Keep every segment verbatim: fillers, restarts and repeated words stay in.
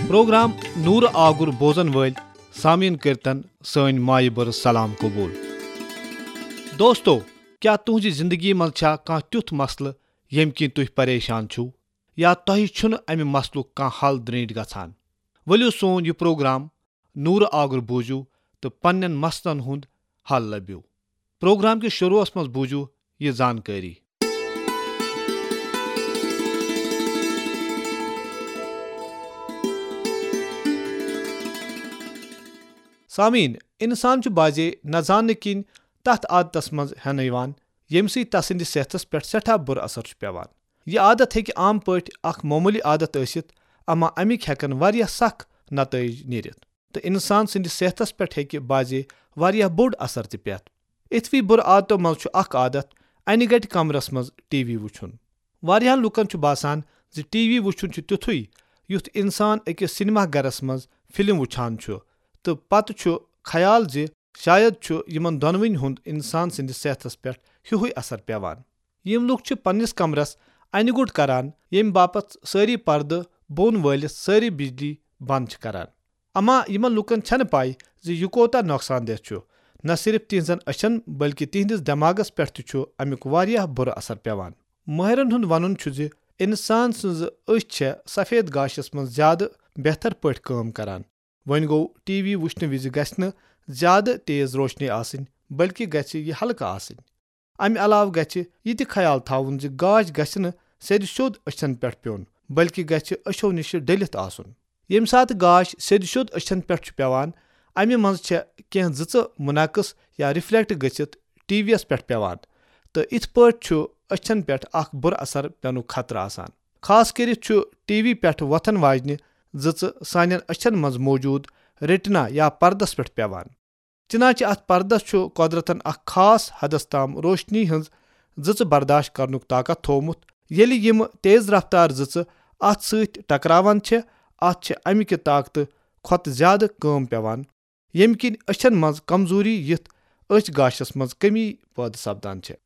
Programme نورٕ آگُر بوزن وٲلۍ سامعیٖن کٔرتن سٲنۍ مایہِ بٔرٕ سلام قبول۔ دوستو، کیٛاہ تُہنٛزِ زندگی منٛز چھا کانٛہہ تیُتھ مسلہٕ ییٚمہِ کِنۍ تُہۍ پریشان چھِو، یا تۄہہِ چھُنہٕ امہِ مسلُک کانٛہہ حل درینٹھ گژھان؟ ؤلِو سون یہِ پروگرام نورٕ آگُر بوٗزِو تہٕ پننٮ۪ن مسلن ہُنٛد حل لٔبِو۔ پروگرام کِس شروعس منٛز بوٗزِو یہِ زانکٲری۔ سامعیٖن، انسان چھُ بعضے نہ زاننہٕ کِنۍ تتھ عادتس منٛز ہٮ۪نہٕ یِوان، ییٚمہِ سۭتۍ تسٕنٛدِس صحتس پٮ۪ٹھ سٮ۪ٹھاہ بُرٕ اثر چھُ پٮ۪وان۔ یہِ عادت ہیٚکہِ عام پٲٹھۍ اکھ معموٗلی عادت ٲسِتھ، اما امِکۍ ہٮ۪کن واریاہ سخ نتٲیج نیٖرِتھ تہٕ انسان سٕنٛدِس صحتس پٮ۪ٹھ ہیٚکہِ بعضے واریاہ بوٚڑ اثر تہِ پٮ۪تھ۔ اِتھوٕے بُرٕ عادتو منٛز چھُ اکھ عادت انہِ گٹہِ کمرس منٛز ٹی وی وٕچھُن۔ واریاہن لوٗکن چھُ باسان زِ ٹی وی وٕچھُن چھُ تیُتھُے، یُتھ انسان أکِس سینما گرس منٛز فلم وٕچھان چھُ، تہٕ پتہٕ چھُ خیال زِ شاید چھُ یِمن دۄنوٕنۍ ہُنٛد انسان سٕنٛدِس صحتس پٮ۪ٹھ ہیُوہُے اثر پٮ۪وان۔ یِم لوٗکھ چھِ پننِس کمرس انہِ گوٚٹ کران، ییٚمہِ باپتھ سٲری پردٕ بۄن وٲلِتھ سٲری بجلی بنٛد چھِ کران۔ اما یِمن لوٗکن چھنہٕ پَے زِ یہِ کوتاہ نۄقصان دہ چھُ، نہ صرف تِہنٛزن أچھن بلکہِ تِہنٛدِس دٮ۪ماغس پٮ۪ٹھ تہِ چھُ امیُک واریاہ بُرٕ اثر پٮ۪وان۔ مٲہرن ہُنٛد ونُن چھُ زِ انسان سٕنٛز أچھ چھےٚ سفید گاشس منٛز زیادٕ بہتر پٲٹھۍ کٲم کران۔ وۄنۍ گوٚو، ٹی وی وٕچھنہٕ وِزِ گژھِ نہٕ زیادٕ تیز روشنی آسٕنۍ، بلکہِ گژھِ یہِ ہلکہٕ آسٕنۍ۔ امہِ علاوٕ گژھِ یہِ تہِ خیال تھاوُن زِ گاش گژھِ نہٕ سیٚدِ سیوٚد أچھن پٮ۪ٹھ پیوٚن، بلکہِ گژھِ أچھو نِشہِ ڈٔلِتھ آسُن۔ ییٚمہِ ساتہٕ گاش سیٚدِ سیوٚد أچھن پٮ۪ٹھ چھُ پٮ۪وان، امہِ منٛز چھےٚ کینٛہہ زٕژٕ منعکس یا رِفلیکٹ گٔژھِتھ ٹی وی یَس پٮ۪ٹھ پٮ۪وان، تہٕ اِتھ پٲٹھۍ چھُ أچھن پٮ۪ٹھ اکھ بُرٕ اثر پٮ۪نُک خطرٕ آسان۔ خاص کٔرِتھ چھُ ٹی وی پٮ۪ٹھ وۄتھن واجنہِ زٕژٕ سانٮ۪ن أچھن منٛز موجود ریٹنا یا پردس پٮ۪ٹھ پٮ۪وان۔ چنانچہ اتھ پردس چھُ قۄدرتن اکھ خاص حدس تام روشنی ہٕنٛز زٕژٕ برداشت کرنُک طاقت تھوومُت۔ ییٚلہِ یِم تیز رفتار زٕژٕ اتھ سۭتۍ ٹکراوان چھےٚ، اتھ چھِ امہِ کہِ طاقتہٕ کھۄتہٕ زیادٕ کٲم پٮ۪وان، ییٚمہِ کِنۍ أچھن منٛز کمزوری یِتھ أچھ گاشس منٛز کمی پٲدٕ سپدان چھےٚ۔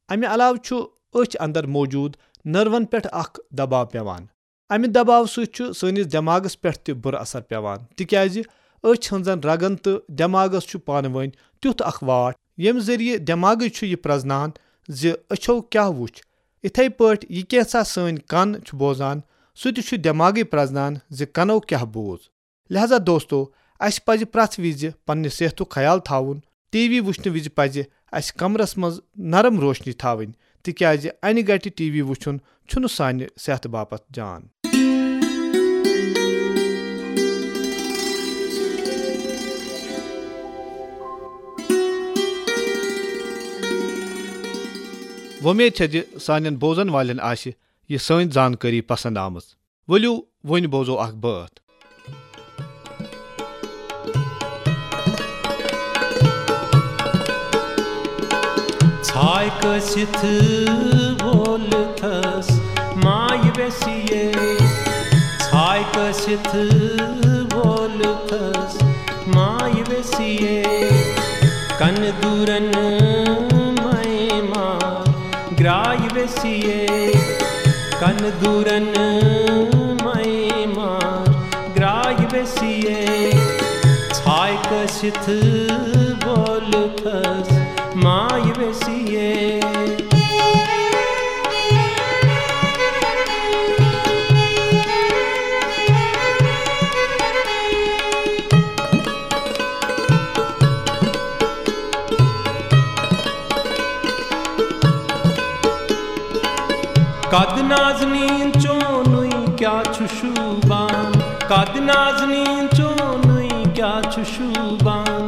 امہِ علاوٕ چھُ أچھ اندر موجود نٔروَن پٮ۪ٹھ اکھ دباو پٮ۪وان۔ امہِ دباو سۭتۍ چھُ سٲنِس دٮ۪ماغس پٮ۪ٹھ تہِ بُرٕ اثر پٮ۪وان، تِکیازِ أچھ ہٕنٛزن رگن تہٕ دٮ۪ماغس چھُ پانہٕ وٲنۍ تیُتھ اکھ واٹھ، ییٚمہِ ذٔریعہٕ دٮ۪ماغٕے چھُ یہِ پرزنان زِ أچھو کیاہ وُچھ۔ اِتھے پٲٹھۍ یہِ کینٛژھا سٲنۍ کن چھُ بوزان، سُہ تہِ چھُ دٮ۪ماغٕے پرزنان زِ کنو کیاہ بوٗز۔ لہذا دوستو، اسہِ پزِ پرٛٮ۪تھ وِزِ پننہِ صحتُک خیال تھاوُن۔ ٹی وی وٕچھنہٕ وِزِ پزِ اسہِ کمرس منٛز نرم روشنی تھاوٕنۍ، تِکیازِ انہِ گٹہِ ٹی وی وٕچھُن چھُنہٕ سانہِ صحتہٕ باپتھ جان۔ وۄمید چھےٚ زِ سانٮ۪ن بوزن والٮ۪ن آسہِ یہِ سٲنۍ زانکٲری پسند آمٕژ۔ ؤلِو، وۄنۍ بوزو اکھ بٲتھ۔ ژھاے کٲسِتھ وولتھس ماے ویسیے، ژھاے کٲسِتھ وولتھس ماے ویسیے، کن دورن مے ما گراے ویسیے، کن دورن مے ما گراے ویسیے، ژھاے کٲسِتھ وولتھس ماے ویسیے۔ قد نازنین چونُے کیٛاہ چھُ شوٗبان، قد نازنین چونُے کیٛاہ چھُ شوٗبان۔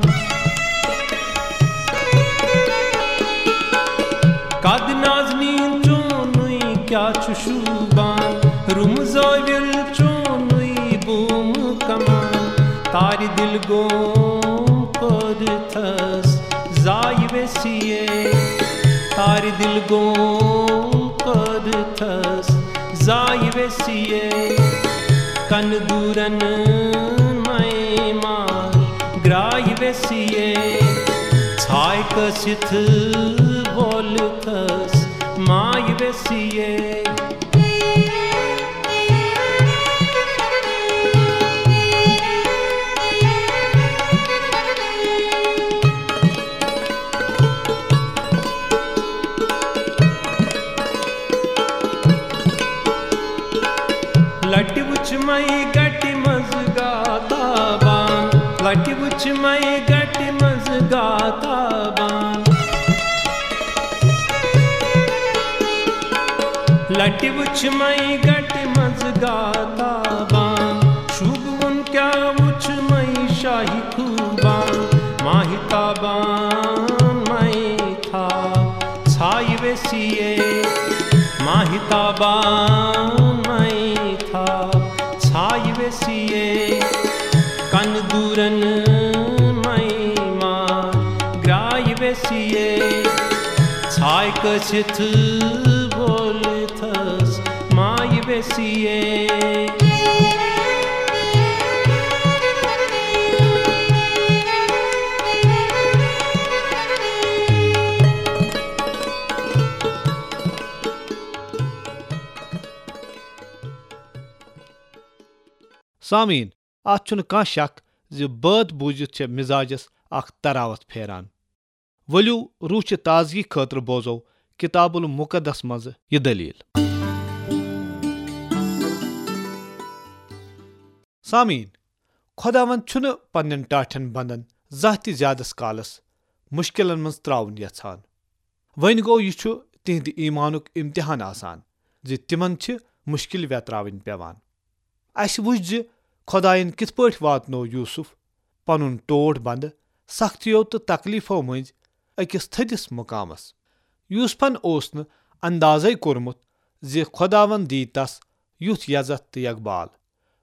قد نازنین چونُے کیٛاہ چھُ شوٗبان، رُم زٲوِل چونُے بوٗم کمان، تارِ دِل گوم قٲدتھس زاے ویسیے، تارِ دِل گوم قٲدتھس زاے ویسیے، کن دورن مے ما گراے ویسیے، ژھاے کٲسِتھ وولتھس ماے ویسیے۔ مَے گَٹہِ منٛز گاتابان، لَٹہِ وٕچھ مَے گَٹہِ منٛز گاتابان۔ لَٹہِ وٕچھ مَے گَٹہِ منٛز گاتابان، شوٗبوُن کیٛاہ وٕچھ مَے شاہی خوٗبان، ماہتابان مَے تھاو ژھایہِ ویسیے، ماہتابان مَے تھاو ژھایہِ ویسیے، کَنہٕ دوٗرَن مَے مار گرٛایہِ ویسیے، ژھایہِ کٔسِتھ وولتھس مایہِ ویسیے۔ سامعیٖن، اتھ چھُنہٕ کانٛہہ شک زِ بٲتھ بوٗزِتھ چھےٚ مزاجس اکھ تراوت پھیران۔ ؤلِو، روح چہِ تازگی خٲطرٕ بوزو کتاب المقدس منٛز یہِ دٔلیٖل۔ سامعیٖن، خۄداوند چھُنہٕ پننٮ۪ن ٹاٹھٮ۪ن بندن زانٛہہ تہِ زیادس کالس مُشکلن منٛز تراوُن یژھان۔ وۄنۍ گوٚو، یہِ چھُ تِہنٛدِ ایمانُک امتحان آسان زِ تِمن چھِ مُشکل ویتراوٕنۍ پٮ۪وان۔ اسہِ وُچھ زِ خۄداین کِتھ پٲٹھۍ واتنوو یوسف پنُن ٹوٹھ بندٕ سختیو تہٕ تکلیفو مٔنٛزۍ أکِس تھٔدِس مقامس۔ یوسفن اوس نہٕ اندازے کوٚرمُت زِ خۄداوند دی تس یُتھ یزتھ تہٕ یقبال۔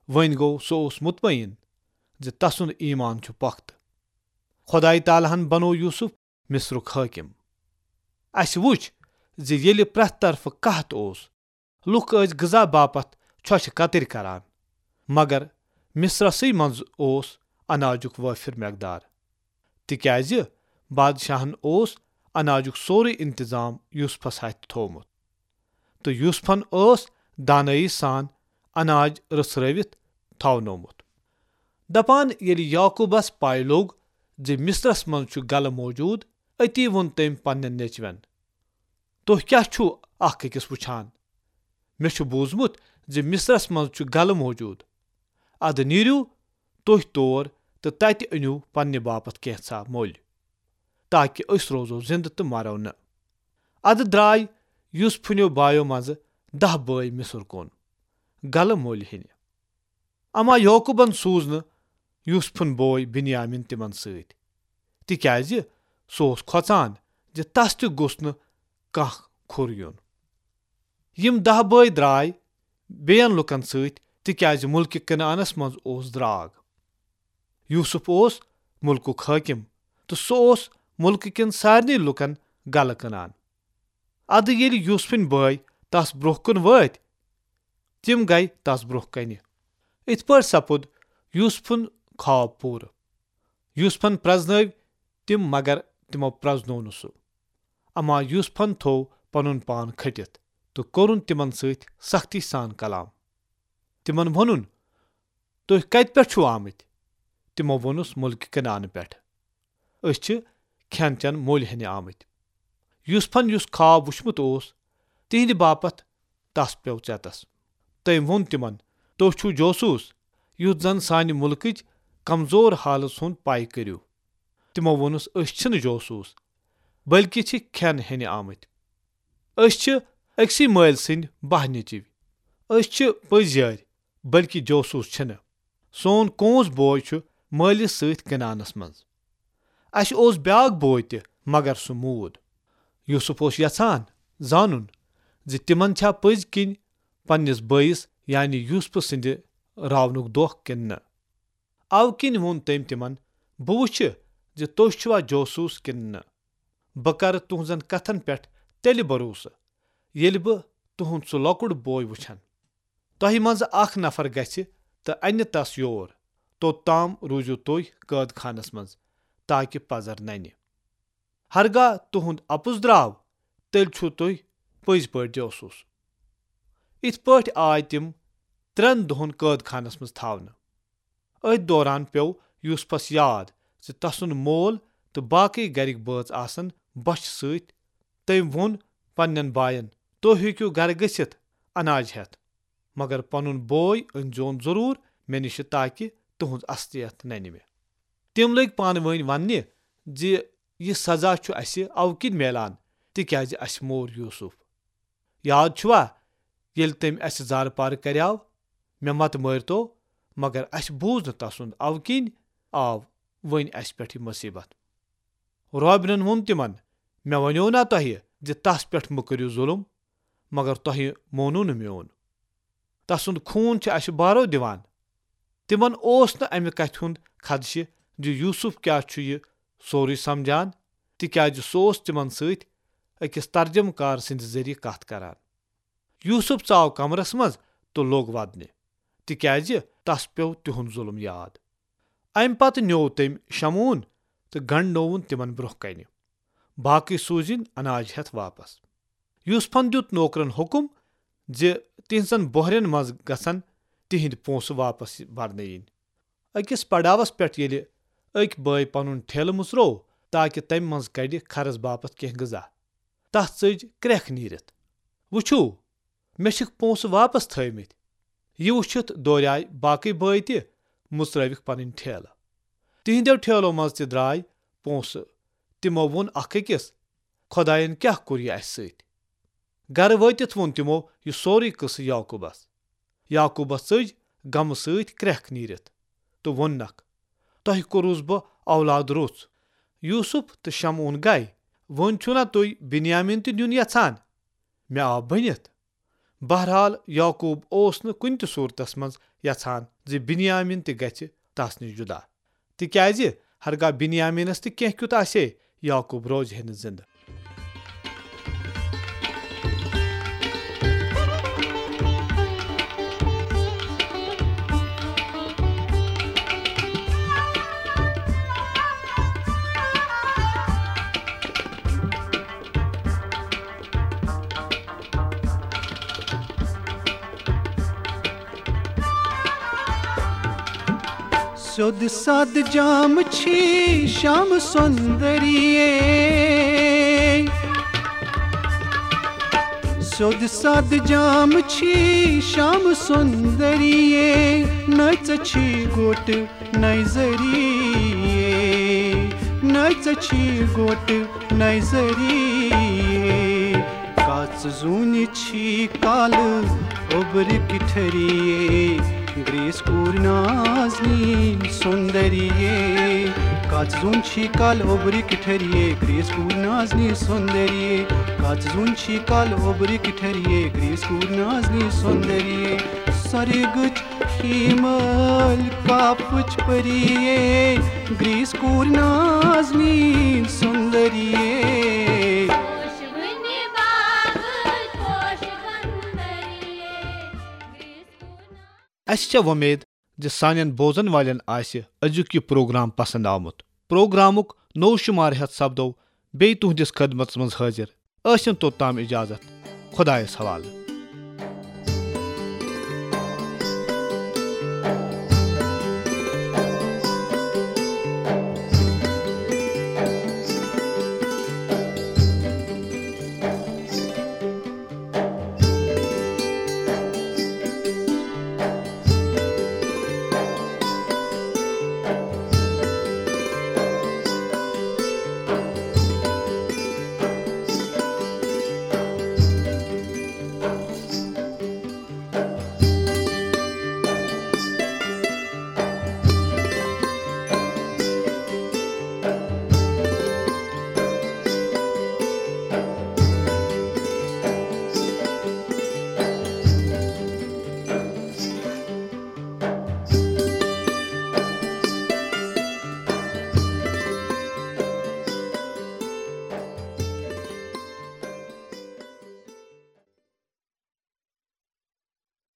وۄنۍ گوٚو، سُہ اوس مطمئن زِ تسُنٛد ایمان چھُ پۄختہٕ۔ خۄدایہِ تعالیٰ ہن بنوو یوسف مصرُک حٲکِم۔ اسہِ وُچھ زِ ییٚلہِ پرٛٮ۪تھ طرفہٕ قحط اوس، لُکھ ٲسۍ غذا باپتھ ژھۄچہِ کتٕرۍ کران، مگر مصرسٕے منٛز اوس اناجُک وٲفر مقدار، تِکیازِ بادشاہن اوس اناجُک سورُے انتظام یوسفس ہتھِ تھوومُت، تہٕ یوسفن ٲس دانٲیی سان اناج رژھرٲوِتھ تھاونوومُت۔ دپان ییٚلہِ یعقوبس پے لوٚگ زِ مصرس منٛز چھُ گلہٕ موجود، أتی ووٚن تٔمۍ پننٮ۪ن نیچوٮ۪ن، "تُہۍ کیٛاہ چھِو اکھ أکِس وُچھان؟ مےٚ چھُ بوٗزمُت زِ مصرس منٛز چھُ گلہٕ موجود۔ ادٕ نیٖرِو تُہۍ تور تہٕ تتہِ أنِو پننہِ باپتھ کینٛژھا مٔلۍ، تاکہ أسۍ روزو زندٕ تہٕ مرو نہٕ۔" ادٕ درٛاے یوسفنیو بایو منٛزٕ دَہ بٲے مصر کُن گلہٕ مٔلۍ ہینہِ۔ اما یعقوبن سوٗز نہٕ یوسفُن بوے بنیامین تِمن سۭتۍ، تِکیازِ سُہ اوس کھۄژان زِ تس تہِ گوٚژھ نہٕ کانٛہہ کھُر یُن۔ یِم دَہ بٲے درٛاے بیٚین لوٗکن سۭتۍ، تِکیازِ مُلکہِ کنعانس منٛز اوس درٛاگ۔ یوسف اوس مُلکُک حٲکِم، تہٕ سُہ اوس مُلکہٕ کٮ۪ن سارنٕے لوٗکن گلہٕ کٕنان۔ ادٕ ییٚلہِ یوسفٕنۍ بٲے تس برٛونٛہہ کُن وٲتۍ، تِم گٔیہِ تس برٛونٛہہ کنہِ۔ اِتھ پٲٹھۍ سپُد یوسفُن خواب پوٗرٕ۔ یوسفن پرزنٲوۍ تِم، مگر تِمو پرزنوو نہٕ سُہ۔ اما یوسفن تھوو پنُن پان کھٔٹِتھ تہٕ کوٚرُن تِمن سۭتۍ سختی سان کلام۔ تِمن ووٚنُن، "تُہۍ کتہِ پٮ۪ٹھ چھِو آمٕتۍ؟" تِمو ووٚنُس، "مُلکہِ کنعانہٕ پٮ۪ٹھ۔ أسۍ چھِ کھٮ۪ن چٮ۪ن مٔلۍ ہینہِ آمٕتۍ۔" یوسفن یُس خواب وُچھمُت اوس، تِہنٛدِ باپتھ تس پیوٚو ژٮ۪تس۔ تٔمۍ ووٚن تِمن، "تُہۍ چھِو جوسوٗس، یُتھ زن سانہِ مُلکٕچ کمزور حالژ ہُنٛد پے کٔرِو۔" تِمو ووٚنُس، "أسۍ چھِنہٕ جوسوٗس، بلکہِ چھِ کھٮ۪ن ہینہِ آمٕتۍ۔ أسۍ چھِ أکسٕے مٲلۍ سٕنٛدۍ باہ نیٚچِوۍ۔ أسۍ چھِ پٔزۍ یٲرۍ، بلکہِ جوسوٗس چھِنہٕ۔ سون کونٛز بوے چھُ مٲلِس سۭتۍ کنعانس منٛز۔ اسہِ اوس بیاکھ بوے تہِ، مگر سُہ موٗد۔" یوسف اوس یژھان زانُن زِ تِمن چھا پٔزۍ کِنۍ پننِس بٲیِس، یعنی یوسف سٕنٛدِ راونُک دۄکھ کِنہٕ نہٕ۔ اوٕ کِنۍ ووٚن تٔمۍ تِمن، "بہٕ وُچھِ زِ تُہۍ چھِوا جوسوٗس کِنہٕ نہٕ۔ بہٕ کرٕ تُہنٛزن کتھن پٮ۪ٹھ تیٚلہِ بھروسہٕ، ییٚلہِ بہٕ تُہنٛد سُہ لۄکُٹ بوے وُچھن۔ تۄہہِ منٛزٕ اکھ نفر گژھِ تہٕ انہِ تس یور۔ توٚت تام روٗزِو تُہۍ قٲد خانس منٛز، تاکہِ پزر ننہِ۔ ہرگاہ تُہنٛد اپُز درٛاو، تیٚلہِ چھِو تُہۍ پٔزۍ پٲٹھۍ جوسوٗس۔" اِتھ پٲٹھۍ آے تِم ترٛٮ۪ن دۄہن قٲد خانس منٛز تھاونہٕ۔ أتھۍ دوران پیوٚو یوسفس یاد زِ تسُنٛد مول تہٕ باقٕے گرِکۍ بٲژ آسن بۄچھِ سۭتۍ۔ تٔمۍ ووٚن پننٮ۪ن باین، "تُہۍ ہیٚکِو گرٕ گٔژھِتھ اناج ہٮ۪تھ۔" مگر پنُن بوے أنۍزیون ضروٗر مےٚ نِش، تاکہِ تُہنٛز اصلیت ننہِ مےٚ۔" تِم لٔگۍ پانہٕ وٲنۍ وننہِ زِ یہِ سزا چھُ اسہِ اَوٕ کِنۍ میلان، تِکیازِ اسہِ مور یوسف۔ یاد چھُوا، ییٚلہِ تٔمۍ اسہِ زارٕ پارٕ کریاو، "مےٚ مت مٲرۍتو"، مگر اسہِ بوٗز نہٕ تسُنٛد، اَوٕ کِنۍ آو وۄنۍ اسہِ پٮ۪ٹھ یہِ مصیبت۔ روبنن ووٚن تِمن، "مےٚ ونیو نا تۄہہِ زِ تس پٮ۪ٹھ مہ کٔرِو ظلم، مگر تۄہہِ مونُو نہٕ میون۔ تسُنٛد خوٗن چھُ اسہِ بارو دِوان۔" تِمن اوس نہٕ امہِ کتھِ ہُنٛد خدشہِ زِ یوسف کیٛاہ چھُ یہِ سورُے سمجھان، تِکیازِ سُہ اوس تِمن سۭتۍ أکِس ترجمہٕ کار سٕنٛدِ ذٔریعہٕ کتھ کران۔ یوسف ژاو کمرس منٛز تہٕ لوٚگ ودنہِ، تِکیازِ تس پیوٚو تِہُنٛد ظلم یاد۔ امہِ پتہٕ نیوو تٔمۍ شمعون تہٕ گنڈنووُن تِمن برونٛہہ کنہِ۔ باقٕے سوٗزِن اناج ہٮ۪تھ واپس۔ یوسفن دیُت نوکرن حکم زِ تِہنٛزن بۄہرٮ۪ن منٛز گژھن تِہنٛدۍ پونٛسہٕ واپس برنہٕ یِنۍ۔ أکِس پڑاوس پٮ۪ٹھ ییٚلہِ أکۍ بٲے پنُن ٹھیلہٕ مُژروو تاکہِ تمہِ منٛز کڑِ خرٕچ باپتھ کینٛہہ غذا، تس ژٔج کرٛٮ۪کھ نیٖرِتھ۔ "وٕچھِو، مےٚ چھِکھ پونٛسہٕ واپس تھٲومٕتۍ۔" یہِ وٕچھِتھ دوریاے باقٕے بٲے تہِ، مُژرٲوِکھ پنٕنۍ ٹھیلہٕ۔ تِہنٛدیو ٹھیلو منٛز تہِ درٛاے پونٛسہٕ۔ تِمو ووٚن اکھ أکِس، "خۄداین کیٛاہ کوٚر یہِ اسہِ سۭتۍ؟" گرٕ وٲتِتھ ووٚن تِمو یہِ سورُے قصہٕ یعقوبس۔ یعقوبس ژٔج غمہٕ سۭتۍ کرٛٮ۪کھ نیٖرِتھ تہٕ ووٚننکھ، "تۄہہِ کوٚروُس بہٕ اولاد روٚژھ۔" یوسف تہٕ شمعون گے، "وۄنۍ چھُنا تُہۍ بنیامین تہِ نیُن یژھان؟ مےٚ آو بٔنِتھ۔" بہرحال، یعقوب اوس نہٕ کُنہِ تہِ صورتس منٛز یژھان زِ بنیامین تہِ گژھِ تس نِش جدا، تِکیازِ ہرگاہ بنیامینس تہِ کینٛہہ کیُت آسہِ ہے، یعقوب روزِ ہے نہٕ زندٕ۔ سیوٚد سادٕ جام چھی شام سُندریے۔ سیوٚد سادٕ جام چھی شام سُندریے۔ نہ ژےٚ چھی گوٹہٕ نظریے۔ نہ ژےٚ چھی گوٹہٕ نظریے۔ کَژ زوٗنہِ چھی کالہٕ اوٚبرِک ٹھٔریے۔ گریس کوٗر نازنیٖن سُندریے۔ کَژ زوٗن چھی کالہٕ اوٚبرِک ٹھٔریے۔ گریس کوٗر نازنیٖن سُندریے۔ کَژ زوٗن چھی کالہٕ اوٚبرِک ٹھٔریے۔ گریس کوٗر نازنیٖن سُندریے۔ سۄرگٕچ ہیٖمل کاپٕچ پریے۔ گریس کوٗر نازنیٖن سُندریے۔ پوشوٕنہِ باغٕچ پوشہٕ گنٛدریے۔ گریس کوٗر ناز- اسہِ چھےٚ وۄمید زِ سانٮ۪ن بوزن والٮ۪ن آسہِ أزیُک یہِ پروگرام پسند آمُت۔ پروگرامُک نوٚو شمارٕ ہٮ۪تھ سپدو بیٚیہِ تُہنٛدِس خدمتس منٛز حٲضِر۔ ٲسِن توٚتام اجازت۔ خۄدایس حوالہٕ۔